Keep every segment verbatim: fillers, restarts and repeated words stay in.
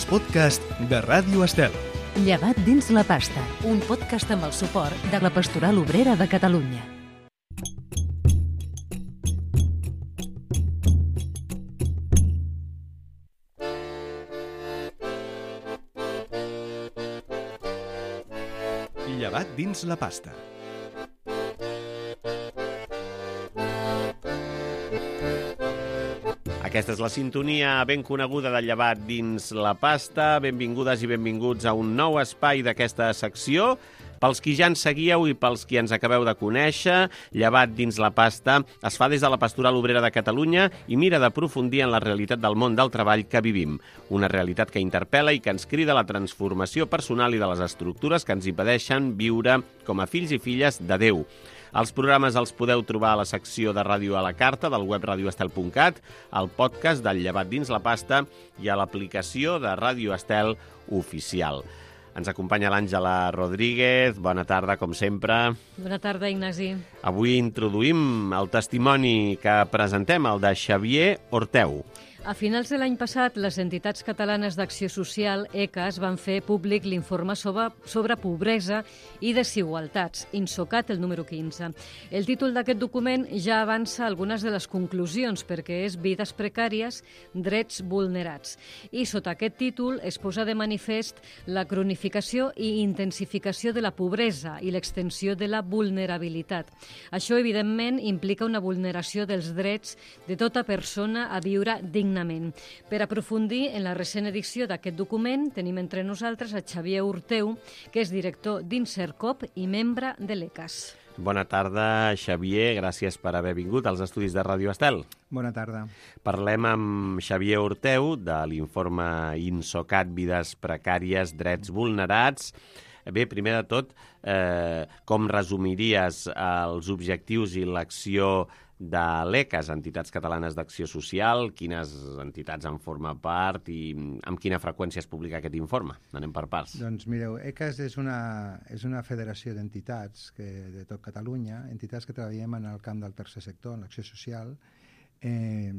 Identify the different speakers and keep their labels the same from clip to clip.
Speaker 1: els podcasts de Ràdio Estel.
Speaker 2: Llevat dins la pasta, un podcast amb el suport de la Pastoral Obrera de Catalunya.
Speaker 1: Llevat dins la pasta.
Speaker 3: Aquesta és la sintonia ben coneguda de Llevat dins la pasta. Benvingudes i benvinguts a un nou espai d'aquesta secció. Pels qui ja ens seguíeu i pels qui ens acabeu de conèixer, Llevat dins la pasta es fa des de la Pastoral Obrera de Catalunya i mira d'aprofundir en la realitat del món del treball que vivim. Una realitat que interpel·la i que ens crida a la transformació personal i de les estructures que ens impedeixen viure com a fills i filles de Déu. Els programes els podeu trobar a la secció de Ràdio a la Carta del web radio estel punt cat, al podcast del Llevat dins la pasta i a l'aplicació de Ràdio Estel oficial. Ens acompanya l'Àngela Rodríguez. Bona tarda, com sempre.
Speaker 4: Bona tarda, Ignasi.
Speaker 3: Avui introduïm el testimoni que presentem, el de Xavier Orteu.
Speaker 4: A finals de l'any passat, les entitats catalanes d'acció social, E C A S, van fer públic l'informe sobre, sobre pobresa i desigualtats, INSOCAT, el número quinze. El títol d'aquest document ja avança algunes de les conclusions, perquè és Vides precàries, drets vulnerats. I sota aquest títol es posa de manifest la cronificació i intensificació de la pobresa i l'extensió de la vulnerabilitat. Això, evidentment, implica una vulneració dels drets de tota persona a viure dignament. Per aprofundir en la recent edició d'aquest document, tenim entre nosaltres a Xavier Orteu, que és director d'Insercop i membre de l'E C A S.
Speaker 3: Bona tarda, Xavier. Gràcies per haver vingut als estudis de Ràdio Estel.
Speaker 5: Bona tarda.
Speaker 3: Parlem amb Xavier Orteu de l'informe INSOCAT, Vides precàries, drets vulnerats. Bé, primer de tot, eh, com resumiries els objectius i l'acció de l'E C A S, Entitats Catalanes d'Acció Social? Quines entitats en forma part i amb quina freqüència es publica aquest informe? Anem per parts.
Speaker 5: Doncs mireu, E C A S és una, és una federació d'entitats que, de tot Catalunya, entitats que treballem en el camp del tercer sector, en l'acció social. Eh,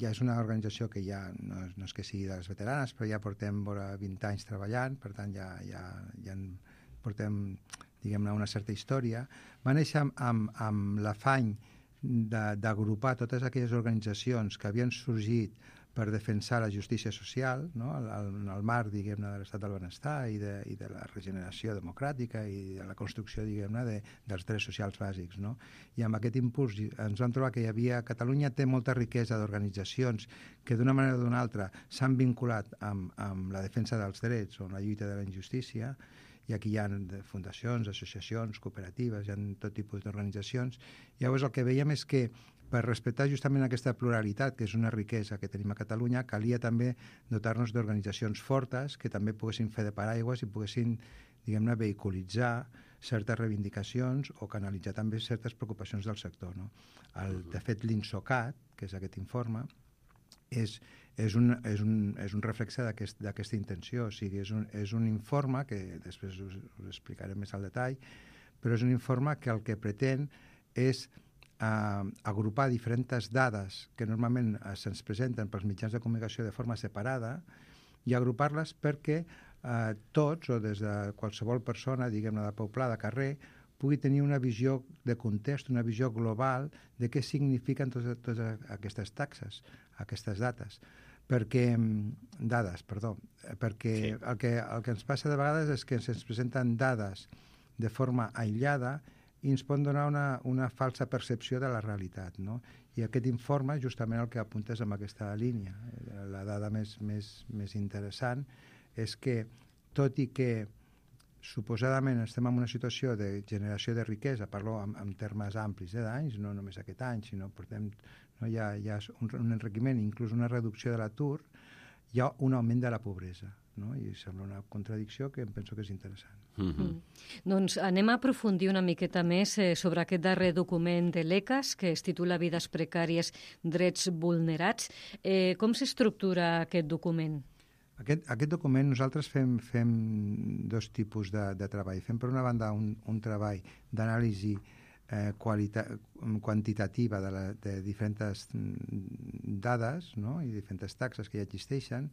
Speaker 5: ja és una organització que ja no, no és que sigui de les veteranes, però ja portem vora vint anys treballant, per tant ja, ja, ja portem, diguem-ne, una certa història. Va néixer amb, amb, amb l'afany d'agrupar totes aquelles organitzacions que havien sorgit per defensar la justícia social, no? en el marc, diguem-ne, de l'estat del benestar i de, i de la regeneració democràtica i de la construcció, diguem-ne, de, dels drets socials bàsics. No? I amb aquest impuls ens vam trobar que hi havia... Catalunya té molta riquesa d'organitzacions que d'una manera o d'una altra s'han vinculat amb, amb la defensa dels drets o amb la lluita de la injustícia, i aquí hi ha fundacions, associacions, cooperatives, hi ha tot tipus d'organitzacions. Llavors el que veiem és que per respectar justament aquesta pluralitat, que és una riquesa que tenim a Catalunya, calia també dotar-nos d'organitzacions fortes que també poguessin fer de paraigües i poguessin, diguem-ne, vehiculitzar certes reivindicacions o canalitzar també certes preocupacions del sector. No? El, de fet, l'INSOCAT, que és aquest informe, és, és, un, és, un, és un reflexe d'aquesta aquest, intenció. O sigui, és un, és un informe que després us, us explicaré més al detall, però és un informe que el que pretén és eh, agrupar diferents dades que normalment se'ns presenten pels mitjans de comunicació de forma separada i agrupar-les perquè eh, tots, o des de qualsevol persona, diguem-ne, de poble, de carrer, pugui tenir una visió de context, una visió global de què signifiquen totes, totes aquestes taxes, aquestes dates. Perquè, dades, perdó, perquè sí. el, que, el que ens passa de vegades és que ens presenten dades de forma aïllada i ens poden donar una, una falsa percepció de la realitat. No? I aquest informe justament el que apunta és amb aquesta línia. La dada més, més, més interessant és que, tot i que suposadament estem en una situació de generació de riquesa, parlo en, en termes amplis eh, d'anys, no només aquest any, sinó portem, no, hi ha, hi ha un, un enriquiment, inclús una reducció de l'atur, hi ha un augment de la pobresa. No? I sembla una contradicció que em penso que és interessant.
Speaker 4: Mm-hmm. Mm. Doncs anem a aprofundir una miqueta més eh, sobre aquest darrer document de l'E C A S, que es titula Vides precàries, drets vulnerats. Eh, com s'estructura aquest document?
Speaker 5: Aquest, aquest document nosaltres fem, fem dos tipus de, de treball. Fem, per una banda, un, un treball d'anàlisi eh, quantitativa de, la, de diferents dades, no? I diferents taxes que ja existeixen,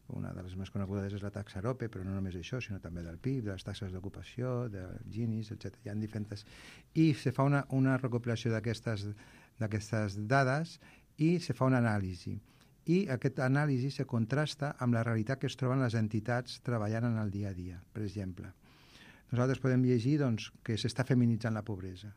Speaker 5: una de les més conegudes és la taxa Arope, però no només això, sinó també del P I B, de les taxes d'ocupació, del Gini, etcètera. Hi ha diferents... I se fa una, una recopilació d'aquestes d'aquestes dades i se fa una anàlisi. I aquesta anàlisi se contrasta amb la realitat que es troben les entitats treballant en el dia a dia. Per exemple, nosaltres podem llegir doncs, que s'està feminitzant la pobresa.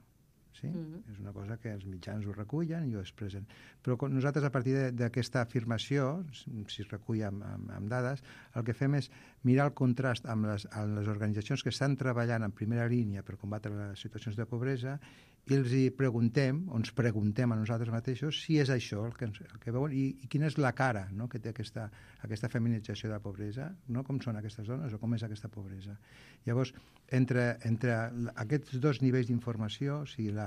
Speaker 5: Sí? Mm-hmm. És una cosa que els mitjans ho recullen i ho expressen. Però nosaltres, a partir d'aquesta afirmació, si es recull amb, amb, amb dades, el que fem és mirar el contrast amb les, amb les organitzacions que estan treballant en primera línia per combatre les situacions de pobresa i els hi preguntem, o ens preguntem a nosaltres mateixos, si és això el que, el que veuen i, i quina és la cara, no?, que té aquesta, aquesta feminització de la pobresa, no? Com són aquestes dones o com és aquesta pobresa. Llavors, entre, entre aquests dos nivells d'informació, o sigui, la,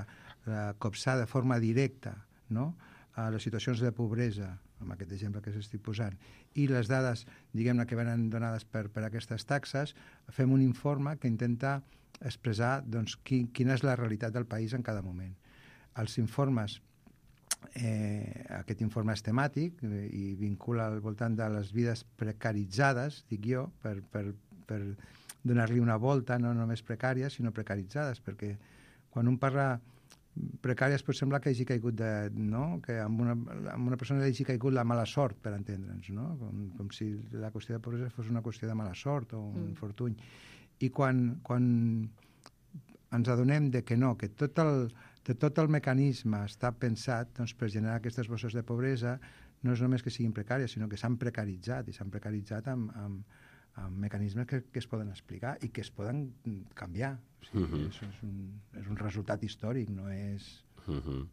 Speaker 5: la copsar de forma directa, no?, a les situacions de pobresa, amb aquest exemple que s'estic posant, i les dades, diguem-ne, que venen donades per, per aquestes taxes, fem un informe que intenta expressar doncs, qui, quina és la realitat del país en cada moment. Els informes, eh, aquest informe és temàtic eh, i vincula al voltant de les vides precaritzades, dic jo, per, per, per donar-li una volta, no només precàries, sinó precaritzades, perquè quan un parla precàries pot semblar que hagi caigut de, no? Que amb una, amb una persona li hagi caigut la mala sort, per entendre'ns, no? Com, com si la qüestió de pobresa fos una qüestió de mala sort o un mm. fortuny. I quan, quan ens adonem de que no, que tot el, de tot el mecanisme està pensat doncs, per generar aquestes bosses de pobresa, no és només que siguin precàries, sinó que s'han precaritzat, i s'han precaritzat amb, amb, amb mecanismes que, que es poden explicar i que es poden canviar. O sigui, uh-huh. és, és, un, és un resultat històric, no és...
Speaker 3: Uh-huh.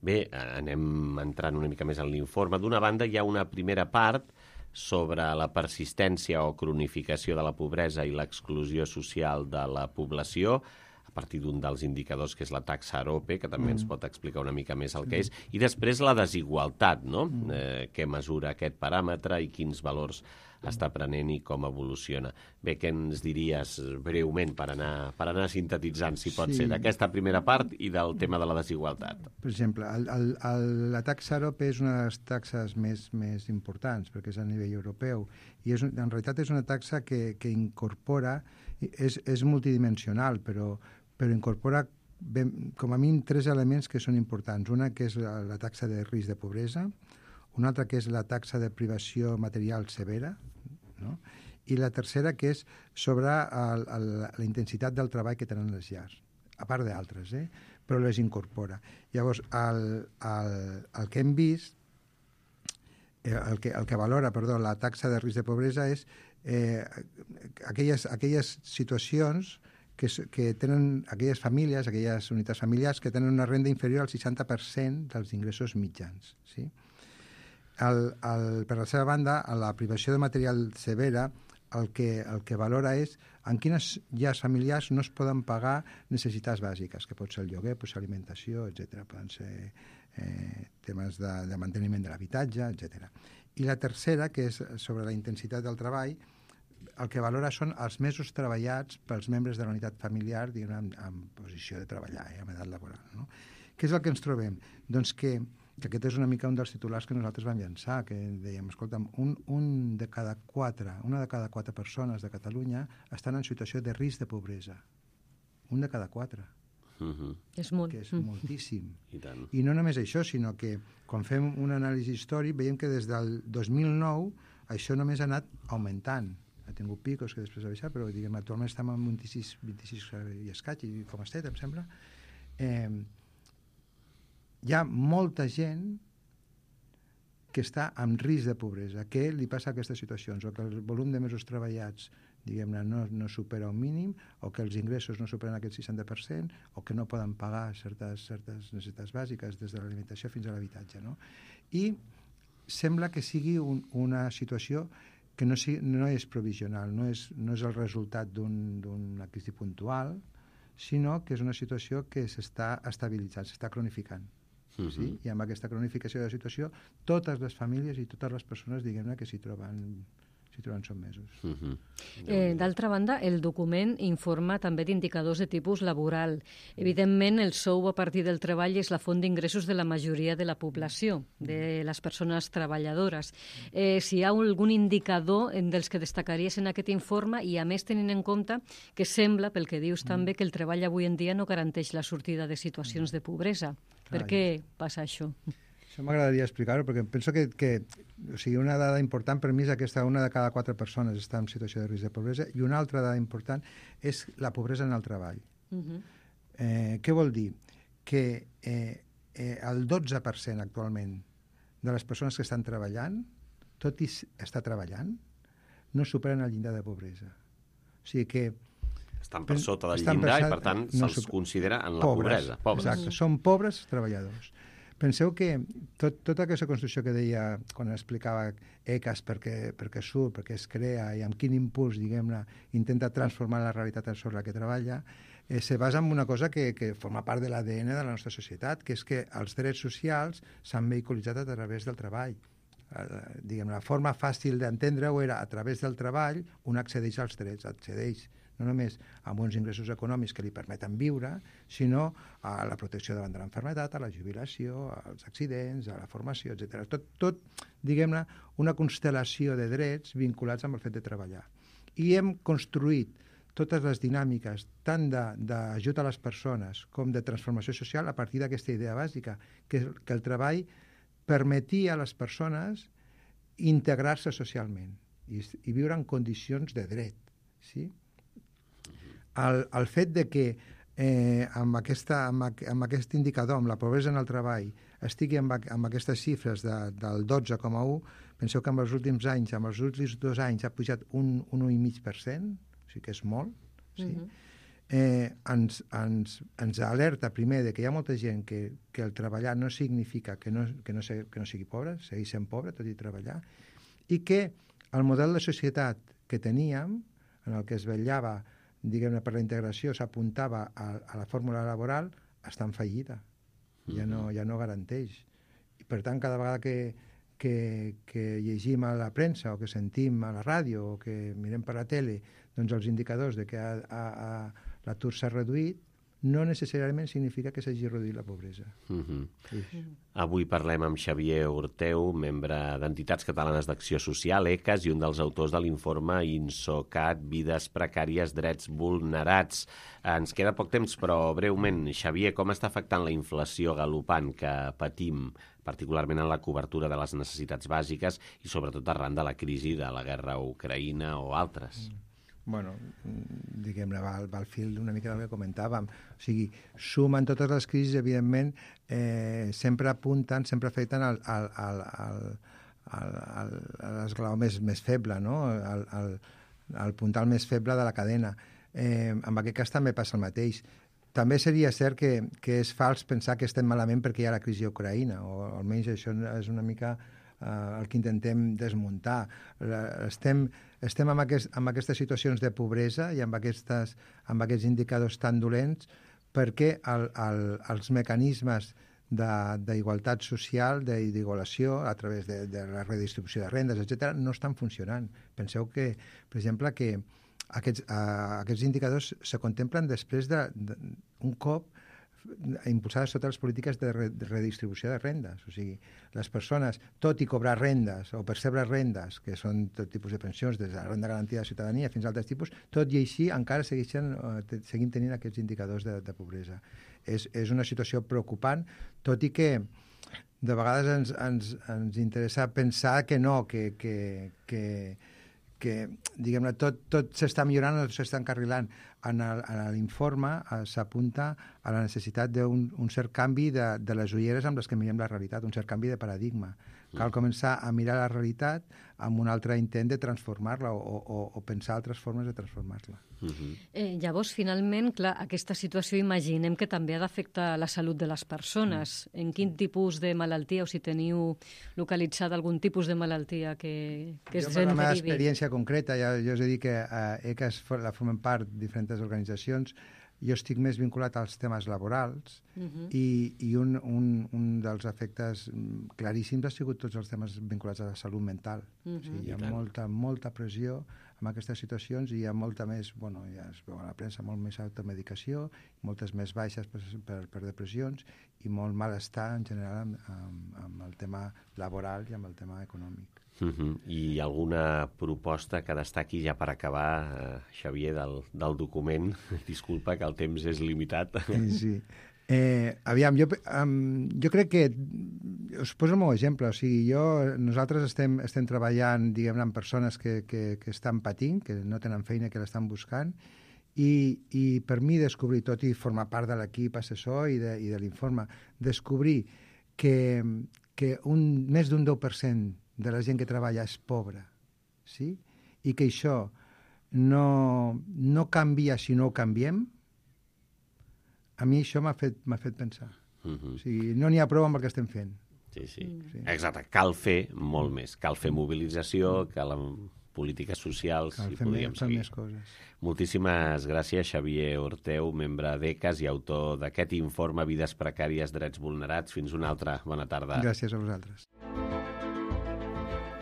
Speaker 3: Bé, anem entrant una mica més en l'informe. D'una banda, hi ha una primera part sobre la persistència o cronificació de la pobresa i l'exclusió social de la població, a partir d'un dels indicadors que és la taxa Arope, que també mm. ens pot explicar una mica més el que és, i després la desigualtat, no? Mm. Eh, què mesura aquest paràmetre i quins valors està prenent i com evoluciona. Bé, què ens diries breument per anar, per anar sintetitzant, si pot sí. ser, d'aquesta primera part i del tema de la desigualtat?
Speaker 5: Per exemple, el, el, el, la taxa Arope és una de les taxes més, més importants, perquè és a nivell europeu, i és, en realitat és una taxa que, que incorpora, és, és multidimensional, però, però incorpora ben, com a mínim tres elements que són importants. Una que és la, la taxa de risc de pobresa, una altra que és la taxa de privació material severa, no? I la tercera que és sobre el, el, la intensitat del treball que tenen les llars, a part d'altres, eh? Però les incorpora. Llavors, el, el, el que hem vist, el que, el que valora perdó, la taxa de risc de pobresa és eh, aquelles, aquelles situacions que, que tenen aquelles famílies, aquelles unitats familiars que tenen una renda inferior al seixanta per cent dels ingressos mitjans, sí? El, el, per la seva banda, a la privació de material severa, el que, el que valora és en quines llars familiars no es poden pagar necessitats bàsiques, que pot ser el lloguer, pot ser alimentació, etcètera. Poden ser eh, temes de, de manteniment de l'habitatge, etcètera. I la tercera, que és sobre la intensitat del treball, el que valora són els mesos treballats pels membres de la unitat familiar, diguem, en, en posició de treballar, eh, en edat laboral, no? Què és el que ens trobem? Doncs que que aquest és una mica un dels titulars que nosaltres vam llançar, que dèiem, escolta'm, un, un de cada quatre, una de cada quatre persones de Catalunya estan en situació de risc de pobresa. Un de cada quatre.
Speaker 3: Uh-huh.
Speaker 4: És molt.
Speaker 5: Que és mm. moltíssim.
Speaker 3: I tant.
Speaker 5: I no només això, sinó que quan fem un anàlisi històric veiem que des del dos mil nou això només ha anat augmentant. Ha tingut picos que després ha baixat, però diguem, actualment estem en vint-i-sis, vint-i-sis i escaig, i com estet, em sembla. Eh, hi ha molta gent que està en risc de pobresa. Què li passa a aquestes situacions? O que el volum de mesos treballats, diguem-ne, no, no supera un mínim, o que els ingressos no superen aquest seixanta per cent, o que no poden pagar certes, certes necessitats bàsiques, des de l'alimentació fins a l'habitatge, no? I sembla que sigui un, una situació que no, sigui, no és provisional, no és, no és el resultat d'un, d'una crisi puntual, sinó que és una situació que s'està estabilitzant, s'està cronificant. Uh-huh. Sí? I amb aquesta cronificació de la situació, totes les famílies i totes les persones, diguem-ne, que s'hi troben, si trobem sotmesos.
Speaker 3: Uh -huh.
Speaker 4: Eh, D'altra banda, el document informa també d'indicadors de tipus laboral. Evidentment, el sou a partir del treball és la font d'ingressos de la majoria de la població, de les persones treballadores. Eh, si hi ha algun indicador dels que destacaries en aquest informe i, a més, tenint en compte que sembla, pel que dius també, que el treball avui en dia no garanteix la sortida de situacions de pobresa. Per què passa això?
Speaker 5: Això m'agradaria explicar-ho, perquè penso que, que o sigui, una dada important per mi és aquesta, una de cada quatre persones està en situació de risc de pobresa, i una altra dada important és la pobresa en el treball. Uh-huh. eh, què vol dir? Que eh, eh, el dotze per cent actualment de les persones que estan treballant, tot i estar treballant, no superen el llindar de pobresa. O sigui que...
Speaker 3: Estan per sota del
Speaker 5: estan
Speaker 3: llindar
Speaker 5: per,
Speaker 3: i, per tant,
Speaker 5: no
Speaker 3: se'ls
Speaker 5: super...
Speaker 3: considera en la
Speaker 5: pobres,
Speaker 3: pobresa. Pobres.
Speaker 5: Exacte, són pobres treballadors. Penseu que tot, tota aquesta construcció que deia quan explicava ECAS perquè, perquè surt, perquè es crea i amb quin impuls, diguem-ne, intenta transformar la realitat sobre la que treballa, eh, se basa en una cosa que, que forma part de l'A D N de la nostra societat, que és que els drets socials s'han vehiculitzat a través del treball. Eh, diguem, la forma fàcil d'entendre-ho era a través del treball un accedeix als drets, accedeix no només amb uns ingressos econòmics que li permeten viure, sinó a la protecció davant de l'enfermetat, a la jubilació, als accidents, a la formació, etcètera. Tot, tot diguem-ne, una constel·lació de drets vinculats amb el fet de treballar. I hem construït totes les dinàmiques, tant d'ajut a les persones com de transformació social, a partir d'aquesta idea bàsica, que, que el treball permetia a les persones integrar-se socialment i, i viure en condicions de dret, sí? El, el fet de que eh, amb, aquesta, amb, amb aquest indicador, amb la pobresa en el treball, estigui amb, amb aquestes xifres de, del dotze coma u, penseu que en els últims anys, en els últims dos anys, ha pujat un, un un coma cinc per cent, o sigui que és molt, sí? Uh-huh. eh, ens, ens, ens alerta primer de que hi ha molta gent que, que el treballar no significa que no, que, no se, que no sigui pobre, segueix sent pobre, tot i treballar, i que el model de societat que teníem, en el que es vetllava diguem-ne, per la integració, s'apuntava a, a la fórmula laboral, està en fallida. Ja no, ja no garanteix. I, per tant, cada vegada que, que, que llegim a la premsa o que sentim a la ràdio o que mirem per la tele doncs els indicadors de que a, a, a, l'atur s'ha reduït, no necessàriament significa que s'hagi reduït la pobresa.
Speaker 3: Uh-huh. Sí. Avui parlem amb Xavier Orteu, membre d'Entitats Catalanes d'Acció Social, ECAS, i un dels autors de l'informe INSOCAT, Vides Precàries, Drets Vulnerats. Ens queda poc temps, però breument, Xavier, com està afectant la inflació galopant que patim, particularment en la cobertura de les necessitats bàsiques i sobretot arran de la crisi de la guerra a Ucraïna o altres? Mm.
Speaker 5: Bueno, diguem-ne, va, va al fil una mica del que comentàvem. O sigui, sumen totes les crisis, evidentment, eh, sempre apunten, sempre afecten al, al, al, al, al, al, a l'esglaó més, més feble, no? Al, al, al puntal més feble de la cadena. Eh, en aquest cas també passa el mateix. També seria cert que, que és fals pensar que estem malament perquè hi ha la crisi a Ucraïna, o almenys això és una mica Uh, el que intentem desmuntar. Uh, estem estem amb, aquest, amb aquestes situacions de pobresa i amb, aquestes, amb aquests indicadors tan dolents perquè el, el, els mecanismes d'igualtat social, d'igualació a través de, de la redistribució de rendes, etcètera, no estan funcionant. Penseu que, per exemple, que aquests, uh, aquests indicadors se contemplen després d'un cop impulsades totes les polítiques de redistribució de rendes. O sigui, les persones, tot i cobrar rendes o percebre rendes, que són tot tipus de pensions, des de la renda garantida de ciutadania fins a altres tipus, tot i així encara segueixen, eh, seguim tenint aquests indicadors de, de pobresa. És, és una situació preocupant, tot i que de vegades ens, ens, ens interessa pensar que no, que, que, que, que diguem-ne, tot, tot s'està millorant o s'està encarrilant. En l'informe s'apunta a la necessitat d'un un cert canvi de, de les ulleres amb les que mirem la realitat, un cert canvi de paradigma. Cal començar a mirar la realitat amb un altre intent de transformar-la o, o, o pensar altres formes de transformar-la.
Speaker 4: Uh-huh. eh, llavors, finalment, clar, aquesta situació imaginem que també ha d'afectar la salut de les persones. Uh-huh. En quin tipus de malaltia, o si teniu localitzada algun tipus de malaltia que, que es
Speaker 5: jo, per la meva
Speaker 4: derivi?
Speaker 5: experiència concreta, ja, jo us he dit que a ECAS la formen part diferents organitzacions, jo estic més vinculat als temes laborals
Speaker 4: Uh-huh.
Speaker 5: i, i un, un, un dels efectes claríssims ha sigut tots els temes vinculats a la salut mental.
Speaker 4: Uh-huh.
Speaker 5: O sigui, hi ha molta, molta pressió en aquestes situacions i hi ha molta més, bueno, ja es veu a la premsa, molt més automedicació, moltes més baixes per, per, per depressions i molt malestar en general amb, amb, amb el tema laboral i amb el tema econòmic.
Speaker 3: Uh-huh. I alguna proposta que destaqui ja per acabar, eh, Xavier, del, del document? Disculpa que el temps és limitat.
Speaker 5: Sí. Eh, aviam, jo, um, jo crec que us poso el meu exemple, o sigui, jo, nosaltres estem, estem treballant, diguem-ne, amb persones que, que, que estan patint, que no tenen feina, que l'estan buscant, i, i per mi descobrir, tot i formar part de l'equip assessor i de, i de l'informe, descobrir que, que un, més d'un deu per cent de la gent que treballa és pobra, sí? I que això no, no canvia si no ho canviem, a mi això m'ha fet, m'ha fet pensar. Uh-huh. O sigui, no n'hi ha prou amb el que estem fent.
Speaker 3: Sí, sí.
Speaker 5: sí.
Speaker 3: Exacte. Cal fer molt més. Cal fer mobilització, cal polítiques socials,
Speaker 5: cal
Speaker 3: i
Speaker 5: fer
Speaker 3: podríem
Speaker 5: més,
Speaker 3: seguir.
Speaker 5: Més coses.
Speaker 3: Moltíssimes gràcies, Xavier Orteu, membre d'E C A S i autor d'aquest informe Vides precàries, drets vulnerats. Fins una altra. Bona tarda.
Speaker 5: Gràcies a vosaltres.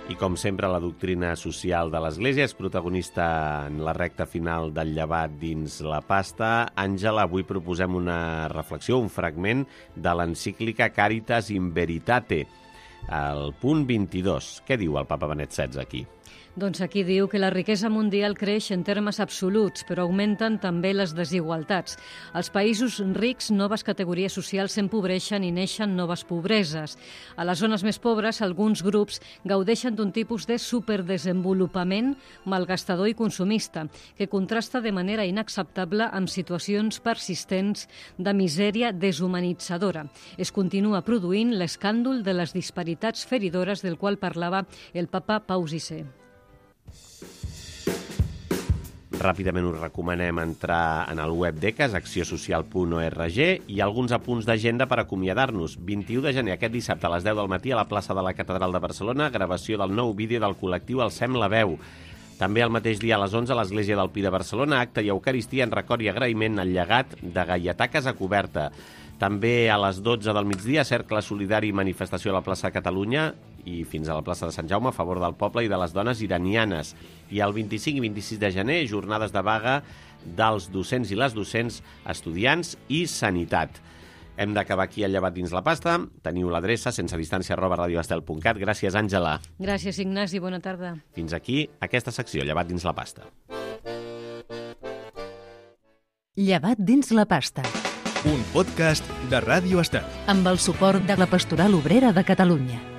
Speaker 3: I com sempre, la doctrina social de l'Església és protagonista en la recta final del llevat dins la pasta. Àngela, avui proposem una reflexió, un fragment de l'encíclica Caritas in Veritate, al punt vint-i-dos. Què diu el papa Benet setze aquí?
Speaker 4: Doncs aquí diu que la riquesa mundial creix en termes absoluts, però augmenten també les desigualtats. Als països rics, noves categories socials s'empobreixen i neixen noves pobreses. A les zones més pobres, alguns grups gaudeixen d'un tipus de superdesenvolupament malgastador i consumista, que contrasta de manera inacceptable amb situacions persistents de misèria deshumanitzadora. Es continua produint l'escàndol de les disparitats feridores del qual parlava el papa Pau sisè.
Speaker 3: Ràpidament us recomanem entrar en el web d'E C A S, acció social punt org, i alguns apunts d'agenda per acomiadar-nos. vint-i-u de gener, aquest dissabte a les deu del matí, a la plaça de la Catedral de Barcelona, gravació del nou vídeo del col·lectiu Alcem la veu. També el mateix dia a les onze a l'Església del Pi de Barcelona, acte i eucaristia en record i agraïment al llegat de Gaietà Casacoberta. També a les dotze del migdia, cercle solidari i manifestació a la plaça de Catalunya i fins a la plaça de Sant Jaume a favor del poble i de les dones iranianes. I el vint-i-cinc i vint-i-sis de gener, jornades de vaga dels docents i les docents, estudiants i sanitat. Hem d'acabar aquí el llevat dins la pasta. Teniu l'adreça sense distància arroba radioestel punt cat. Gràcies, Àngela.
Speaker 4: Gràcies, Ignasi. Bona tarda.
Speaker 3: Fins aquí aquesta secció, llevat dins la pasta.
Speaker 2: Llevat dins la pasta.
Speaker 1: Un podcast de Ràdio Estel.
Speaker 2: Amb el suport de la Pastoral Obrera de Catalunya.